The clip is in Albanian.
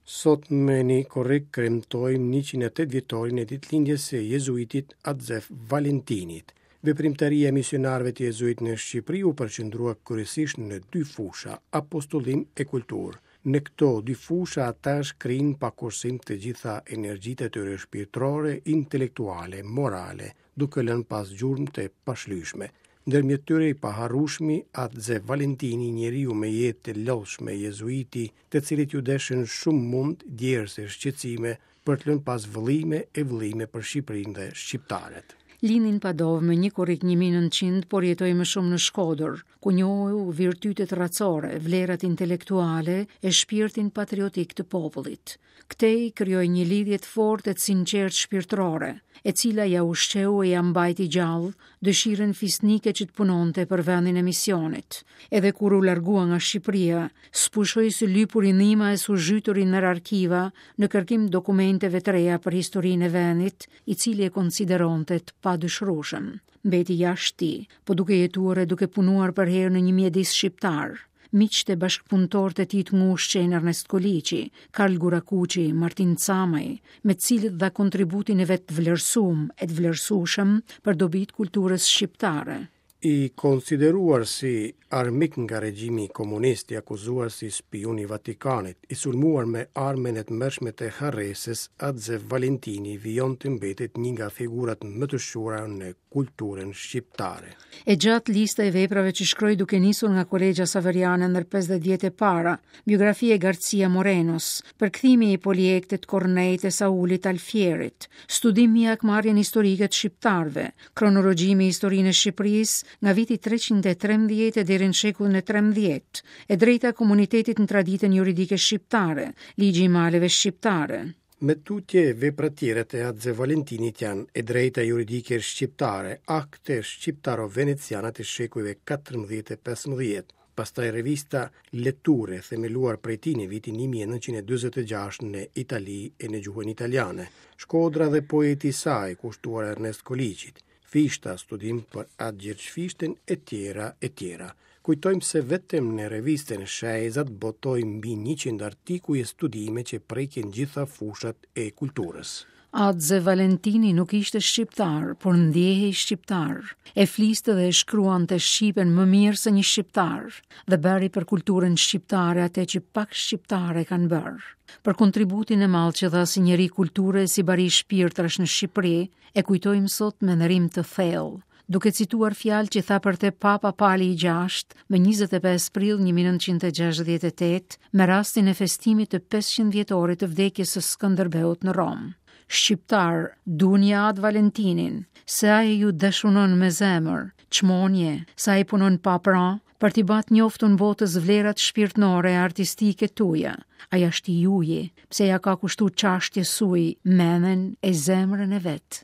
Sot më një korrik kremtojmë 108 vjetorin e ditëlindjes së jezuitit At Zef Valentinit. Veprimtaria e misionarëve të jezuit në Shqipëri u përqendrua kryesisht në dy fusha, apostullim e kulturë. Në këto dy fusha ata shkrinë pa kursim të gjitha energjitë e tyre shpirtërore, intelektuale, morale, duke lënë pas gjurmë të pashlyeshme. Ndërmjet tyre i paharrueshmi At Zef Valentini, njeriu me jetë të lodhshme jezuiti, të cilit iu deshën shumë mund, djersë e shqetësime për të lënë pas vëllime e vëllime për Shqipërinë dhe shqiptarët. Lindi në Padovë më 1 korrik 1900, por jetoi më shumë në Shkodër, ku njohu virtytet racore, vlerat intelektuale e shpirtin patriotik të popullit. Këtej krijoi një lidhje të fortë e të sinqertë shpirtërore, e cila ia ushqeu e ia mbajti gjallë dëshirën fisnike që të punonte për vendin e misionit. Edhe kur u largua nga Shqipëria, s'pushoi së lypuri ndihma e s'u zhyturi nër arkiva në kërkim dokumenteve të reja për historinë e vendit, i cili e konsideronte të padëshirueshëm. Mbeti jashtë tij, po duke jetuar e duke punuar përherë në një mjedis shqiptar. Miqtë e bashkëpunëtorët e tij të ngushtë qenë Ernest Koliqi, Karl Gurakuqi, Martin Camaj, me të cilët dha kontributin e vet të vlerësum e të vlerësueshëm për dobi të kulturës shqiptare. I konsideruar si armik nga regjimi komunist, i akuzuar si spiun i Vatikanit, i sulmuar me armën e tmerrshme të harresës, At Zef Valentini vijon të mbetet një nga figurat më të shquara në kulturën shqiptare. E gjatë lista e veprave që shkroi duke nisur nga Kolegja Saveriane ndër 50 vjet e para, biografia e Garcia Morenos, përkthimi i Poliektit Korneit e Saulit Alfierit, studimi i hakmarrjen historike të shqiptarëve, Kronologji mbi historinë e Shqipërisë nga viti 313 e deri në shekullin e 13, e drejta e komunitetit në traditën juridike shqiptare, ligji i maleve shqiptare. Më tutje, veprat tjera të At Zef Valentinit janë E drejta juridike shqiptare, akte shqiptaro-veneciane të shekujve 14 e 15, pastaj revista Letture, themeluar prej tij në vitin 1946 në Itali e në gjuhën italiane, Shkodra dhe poeti i saj, kushtuar Ernest Koliqit, Fishta, studim për At Gjergj Fishtën e tjera e tjera. Kujtojmë se vetëm në revistën Shejzat botoi mbi 100 artikuj e studime që prekin gjitha fushat e kulturës. At Zef Valentini nuk ishte shqiptar, por ndjehej shqiptar. E fliste dhe e shkruante shqipen më mirë se një shqiptar dhe bëri për kulturën shqiptare atë që pak shqiptarë e kanë bërë. Për kontributin e madh që dha si njeri kulture e si bari shpirtrash në Shqipëri, e kujtojmë sot me nderim të thellë duke cituar fjalë që tha për te Papa Pali i VI më 25 prill 1968 me rastin e festimit të 500 vjetorit të vdekjes së Skënderbeut në Romë. Shqiptarë, dunje At Valentinin, se ai ju dashunon me zemër, çmonje, se ai punon pa pra, për t'i ba t'njoftun botës vlerat shpirtnore e artistike tuja. Ai asht i juji, pse ja ka kushtu çashtjes suj menen e zemrën e vet.